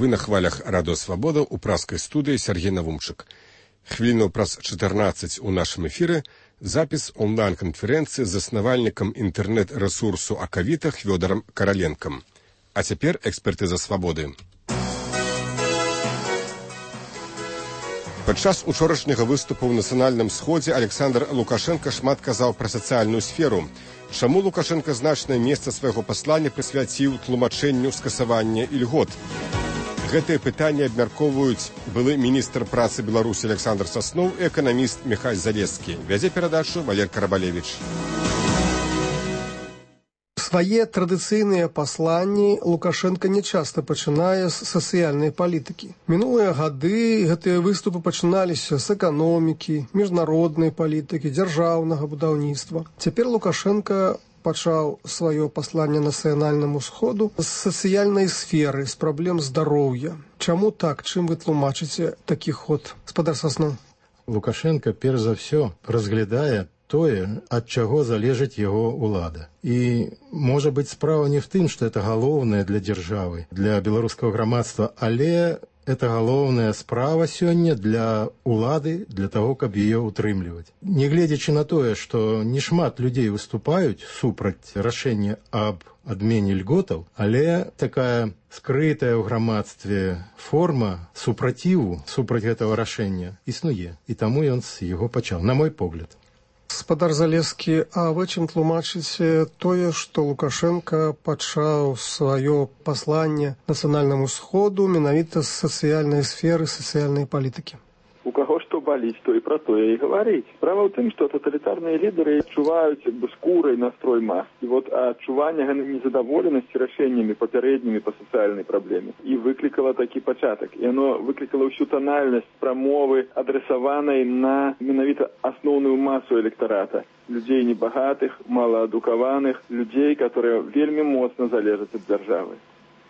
Вы на хвалях Радио Свобода у праскай студыі Сергей Навумчык. Хвілінаў праз 14 у нашым эфіры запіс онлайн-канферэнцыі з заснавальнікам інтэрнэт-рэсурсу Акавіта Хвёдарам Караленкам. А цяпер экспертыза свабоды. Падчас учорашняга выступу ў нацыянальным сходзе Александр Лукашенко шмат казаў пра сацыяльную сферу. Чаму Лукашенко значнае месца свайго паслання прысвяціў тлумачэнню скасавання ільгот? Гэтыя пытанні абмяркоўваюць былы міністр працы Беларусі Александр Сасноў і эканаміст Міхась Залескі. Вядзе перадачу Валер Карабалевіч. Свае традыцыйныя пасланні Лукашенко нечаста пачынае з сацыяльнай палітыкі. Мінулыя гады гэтыя выступы пачыналіся з эканомікі, міжнароднай палітыкі, дзяржаўнага будаўніцтва. Цяпер Лукашенко пачаў сваё пасланне нацыянальнаму сходу з сацыяльнай сферы, з праблем здароўя. Чаму так? Чым вы тлумачыце такі ход? Спадар Сасноў. Лукашенко, перш за ўсё, разглядае тое, ад чаго залежыць яго ўлада. І, можа быць, справа не в тым, што это галоўнае для дзяржавы, для беларускага грамадства, але это галоўная справа сёння для улады, для таго, каб яе ўтрымліваць. Нягледзячы на тое, што не шмат людзей выступаюць супраць рашэння аб адмене льготаў, але такая скрытая ў грамадстве форма супраціву супраць гэтага рашэння існуе. І таму ён з яго пачаў, на мой погляд. Спадар Залескі, а вы чым тлумачыце тое, што Лукашенко пачаў сваё пасланне нацыянальнаму сходу менавіта з сацыяльнай сферы, сацыяльнай палітыкі? У каго што баліць, то і пра тое і гаварыць. Справа ў тым, што таталітарныя лідары адчуваюць скурай настрой мас. І адчуванне незадаволенасці рашэннямі папярэднімі па сацыяльнай праблеме і выклікала такі пачатак. І яно выклікала ўсю танальнасць прамовы, адресаванай на менавіта асноўную масу электарата. Людзей небагатых, малаадукаваных, людзей, которые вельмі моцна залежаць ад дзяржавы.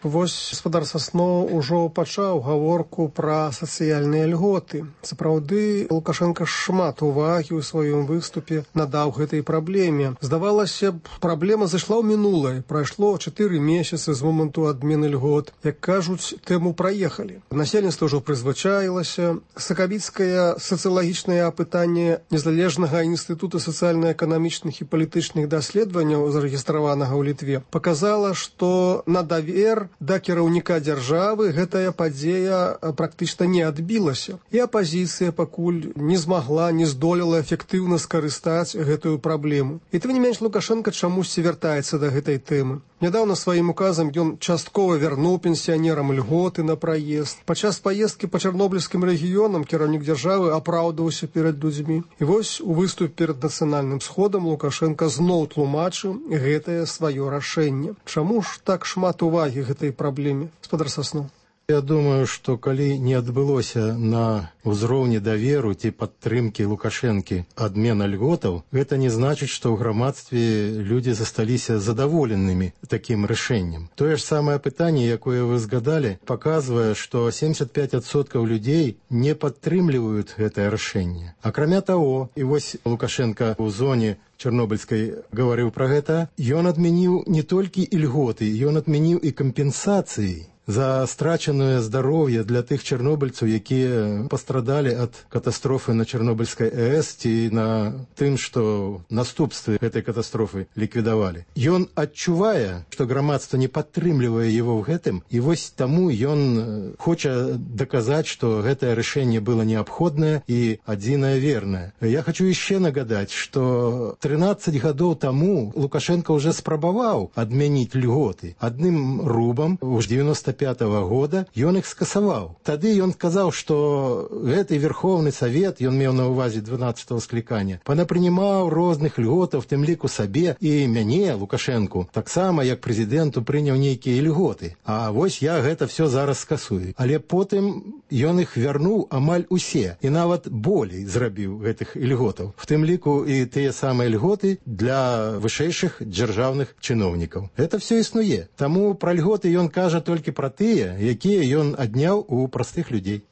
Вось спадар Сасноў ужо пачаў гаворку пра сацыяльныя льготы. Сапраўды, Лукашенко шмат увагі ў сваім выступе надаў гэтай праблеме. Здавалася б, праблема зайшла ў мінулае. Прайшло 4 месяцы з моманту адмены льгот. Як кажуць, тэму праехалі. Насельніцтва ўжо прызвычаілася. Сакавіцкае сацыялагічнае апытанне Незалежнага інстытута сацыяльна-эканамічных і палітычных даследаванняў, зарэгістраванага ў Літве, паказала, што на давер да кіраўніка дзяржавы гэтая падзея практычна не адбілася. І апазіцыя пакуль не змагла, не здолела эфектыўна скарыстаць гэтую праблему. І тым не менш Лукашенко чамусьці вяртаецца да гэтай тэмы. Нядаўна сваім указам ён часткова вярнуў пенсіянерам льготы на праезд. Падчас паездкі па чарнобыльскім рэгіёнам кіраўнік дзяржавы апраўдваўся перад людзьмі. І вось у выступ перад нацыянальным сходам Лукашенко зноў тлумачыў гэтае сваё рашэнне. Чаму ж так шмат увагі гэтай праблеме? Спадар Сасноў. Я думаю, што калі не адбылося на ўзроўні даверу ці падтрымкі Лукашэнкі адмена льготаў, гэта не значыць, што ў грамадстве людзі засталіся задаволенымі такім рашэннем. Тое ж самае пытанне, якое вы згадалі, паказвае, што 75% людзей не падтрымліваюць гэтае рашэнне. Акрамя таго, і вось Лукашенко ў зоне Чарнобыльскай гаварыў пра гэта, ён адмяніў не толькі ільготы, ён адмяніў і кампенсацыі за страчанае здароўе для тых чарнобыльцаў, якія пастрадалі ад катастрофы на Чарнобыльскай АЭС ці на тым, што наступствы гэтай катастрофы ліквідавалі. Ён адчувае, што грамадства не падтрымлівае яго ў гэтым, і вось таму ён хоча даказаць, што гэтае рашэнне было неабходнае і адзінае вернае. Я хочу яшчэ нагадаць, што 13 гадоў таму Лукашенко ўжо спрабаваў адмяніць льготы. Адным рубам у 95-го года ён іх скасаваў. Тады ён сказаў, што гэты Верховны Савет, ён меў на ўвазе 12-го склікання, панапрынимаў розных льготаў, в тым ліку сабе і мяне, Лукашэнку, таксама як прэзідэнту прыняў нейкія льготы. А вось я гэта все зараз скасую. Але потым ён іх вярнуў амаль усе і нават болей зрабіў гэтых льготаў. В тым ліку і тыя самыя льготы для вышэйшых дзяржаўных чыноўнікаў. Гэта все існуе. Таму пра льготы ён кажа толькі пра тыя, якія ён адняў у простых людзей.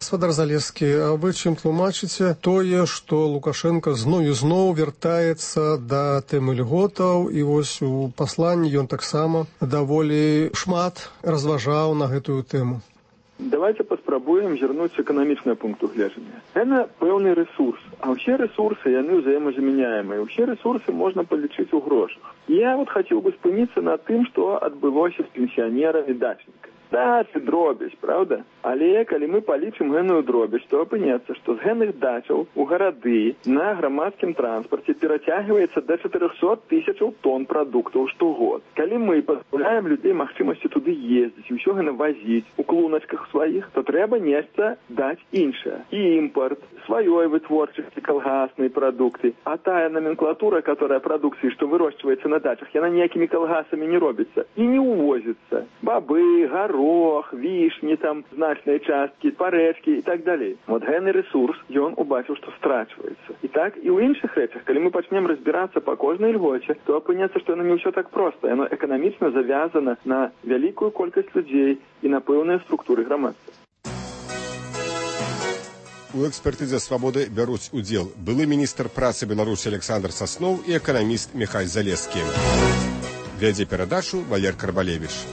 Спадар Залескі, а вы чым тлумачыце тое, што Лукашенко зноў і зноў вяртаецца да тэмы льготаў, і вось у пасланні ён таксама даволі шмат разважаў на гэтую тэму? Давайте паспрабуем зірнуць эканамічнага пункту гледжання. Гэта пэўны рэсурс, а ўсе рэсурсы, яны ўзаемазамяняемыя. Усе рэсурсы можна палічыць у грошах. Я хацеў бы спыніцца на тым, што адбылося з пенсіянерамі дачнікамі. Дачы дробязь, правда? Але калі мы палічым гэную дробязь, то апынецца, што з гэных дачаў у гарады на грамадскім транспарце перацягваецца да 400 тысячаў тонн прадуктаў штогод. Калі мы пазбаўляем людзей магчымасці туды ездзіць і ўсё гэта вазіць у клуначках сваіх, то трэба нешта даць іншае. І імпорт, сваёй вытворчасці калгасныя прадукты. А тая номенклатура, которая прадукцыі, што вырошчваецца на дачах, яна ніякімі калгасамі не робіцца і не ўвозіцца. Бабы, горох, вішні, там значныя часткі, парэчкі і так далей. Вот гэны рэсурс, ён убачыў, што страчваецца. І так і ў іншых рэчах, калі мы пачнем разбірацца па кожнай льгоце, то апыняцца, што яно не ўсё так проста. Яно эканамічна завязана на вялікую колькасць людзей і на пэўныя структуры грамадства. У экспертызе «Свабоды» бяруць удзел былы міністр працы Беларусі Александр Сасноў і эканаміст Михай Залескі. Вядзе перадачу Валер Карбалевіч.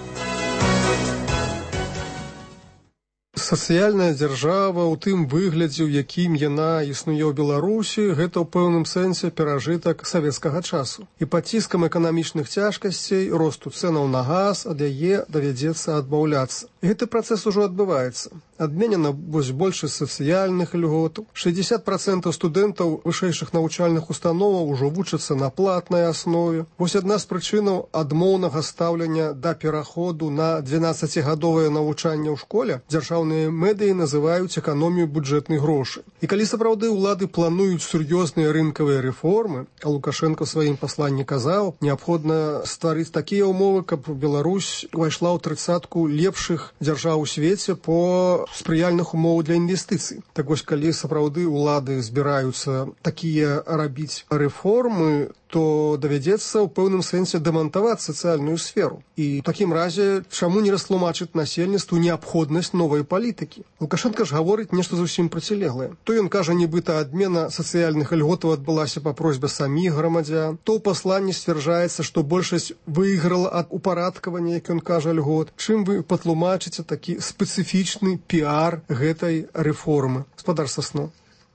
Сацыяльная дзяржава ў тым выглядзе, у якім яна існуе ў Беларусі, гэта ў пэўным сэнсе перажытак савецкага часу. І пад ціскам эканамічных цяжкасцей, росту цэнаў на газ, ад яе давядзецца адмаўляцца. І гэты працэс ужо адбываецца. Адменена большасць сацыяльных льготаў. 60% студэнтаў вышэйшых навучальных установаў ужо вучацца на платнай аснове. Вось адна з прычынаў адмоўнага стаўлення да пераходу на 12-гадовае навучанне ў школе дзяржаўныя медыі называюць эканомію бюджэтных грошай. І калі сапраўды ўлады плануюць сур'ёзныя рынкавыя рэформы, а Лукашенко ў сваім пасланні казаў, неабходна стварыць такія ўмовы, каб Беларусь увайшла ў 30-ку лепшых дзяржаў у свеце по спрыяльных умоў для інвестыцый. Так вось, калі сапраўды ўлады збіраюцца такія рабіць рэформы, то давядзецца ў пэўным сэнсе дэмантаваць сацыяльную сферу. І ў такім разе чаму не растлумачыць насельніцтву неабходнасць новай палітыкі? Лукашенко ж гаворыць нешта зусім процілеглае. То ён кажа, нібыта адмена сацыяльных льготаў адбылася па просьбе саміх грамадзян, то ў пасланні сцвярджаецца, што большасць выйграла ад упарадкавання, як ён кажа, льгот. Чым вы патлумачыце такі спецыфічны піар гэтай рэформы? Гаспадар Сасноў.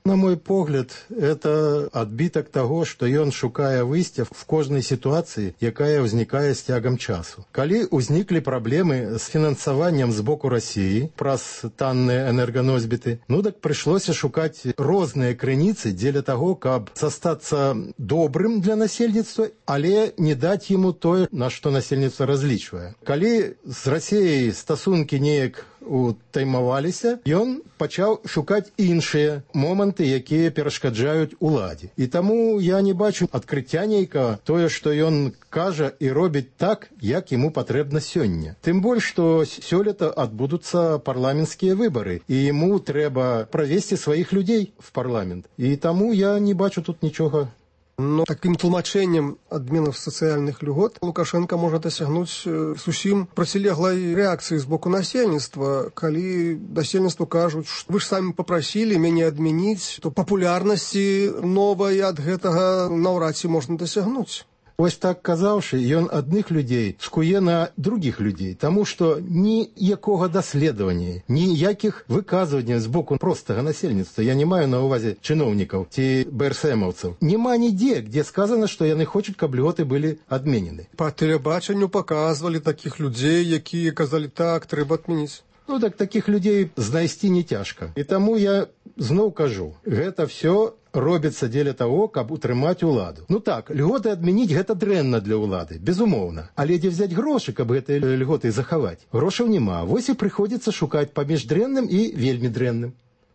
На мой погляд, это адбітак таго, што ён шукае выйсця в кожнай сітуацыі, якая ўзнікае з цягам часу. Калі ўзніклі праблемы з фінансаваннем з боку Расіі праз танныя энерганосьбіты, так прыйшлося шукаць розныя крыніцы дзеля таго, каб застацца добрым для насельніцтва, але не даць яму тое, на што насельніцтва разлічвае. Калі з Расіяй стасункі неяк утаймаваліся, ён пачаў шукаць іншыя моманты, якія перашкаджаюць уладзе. І таму я не бачу адкрыцця нейкага тое, што ён кажа і робіць так, як яму патрэбна сёння. Тым больш, што сёлета адбудуцца парламенцкія выбары, і яму трэба правесці сваіх людзей в парламент. І таму я не бачу тут нічога. Но таким тлумачэннем адменаў сацыяльных льгот Лукашенко можа дасягнуць зусім процілеглай рэакцыі з боку насельніцтва. Калі насельніцтву кажуць, што вы ж самі папрасілі мяне адмяніць, то папулярнасці новай ад гэтага наўрад ці можна дасягнуць. Вось так казаўшы, ён адных людзей скуе на другіх людзей, таму што ніякога даследавання, ніякіх выказванняў з боку простага насельніцтва, я не маю на ўвазе чыноўнікаў ці БРСМаўцаў, няма нідзе, дзе сказана, што яны хочуць, каб льготы былі адменены. Па тэлебачанню паказвалі такіх людзей, якія казалі, так, трэба адмяніць. Так такіх людзей знайсці не цяжка. І таму я зноў кажу, гэта все робіцца дзеля таго, каб утрымаць уладу. Так, льготы адмяніць гэта дрэнна для ўлады, безумоўна. Але дзе взяць грошы, каб гэтыя льготы захаваць? Грошаў няма. Вось і прыходзіцца шукаць паміж дрэнным і вельмі дрэнным.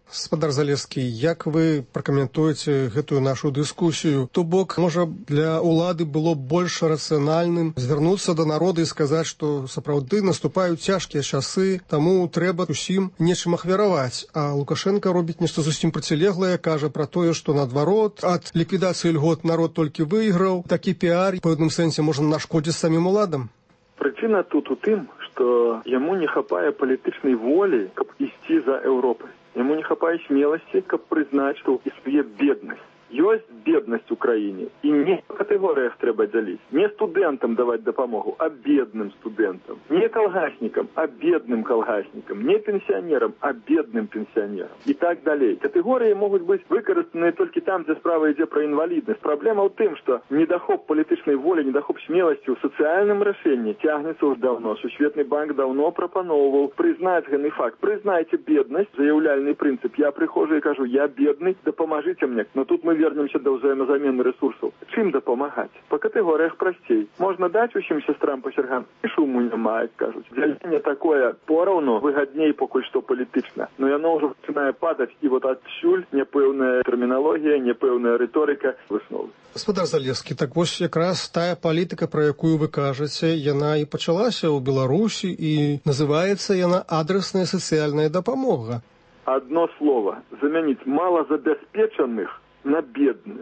Гаспадар Залескі, як вы пракаментуеце гэтую нашу дыскусію? То бок, можа, для ўлады было больш рацыянальным звярнуцца да народа і сказаць, што сапраўды наступаюць цяжкія часы, таму трэба усім нечым ахвяраваць. А Лукашенко робіць нешта зусім процілеглае, кажа пра тое, што наадварот, ад ліквідацыі льгот народ толькі выйграў. Такі піар, па пэўным сэнсе, можа нашкодзіць самім уладам. Прычына тут у тым, што яму не хапае палітычнай волі, каб ісці за Еўропай. Яму не хапае смеласці, каб прызнаць, што існуе беднасць. Ёсць беднасць у краіне. І не па катэгорыях трэба дзяліць. Не студэнтам даваць дапамогу, а бедным студэнтам. Не калгаснікам, а бедным калгаснікам. Не пенсіянерам, а бедным пенсіянерам. І так далей. Катэгорыі могуць быць выкарыстаныя толькі там, дзе справа ідзе пра інваліднасць. Праблема ў тым, што недахоп палітычнай волі, недахоп смеласці ў сацыяльным рашэнні цягнецца ўж даўно. Сусветны банк даўно прапаноўваў прызнаць гэты факт. Прызнайце беднасць, заяўляльны прынцып. Я прыхожу і кажу, я бедны, дапамажыце мне. Но тут мы вернемся да ўзаемазамены рэсурсаў. Чым дапамагаць? Па катэгорыях прасцей. Можна даць усім сястрам па сяргам, і шуму няма, як кажуць. Дзяленне такое пораўну выгадней пакуль што палітычна. Но яно ўжо пачынае падаць, і вот адсюль няпэўная тэрміналогія, няпэўная рыторыка высновы. Гаспадар Залескі, так вось якраз тая палітыка, пра якую вы кажаце, яна і пачалася ў Беларусі, і называецца яна адресная сацыяльная дапамога. Одно слово. Заменить малозабеспеченных на бедных.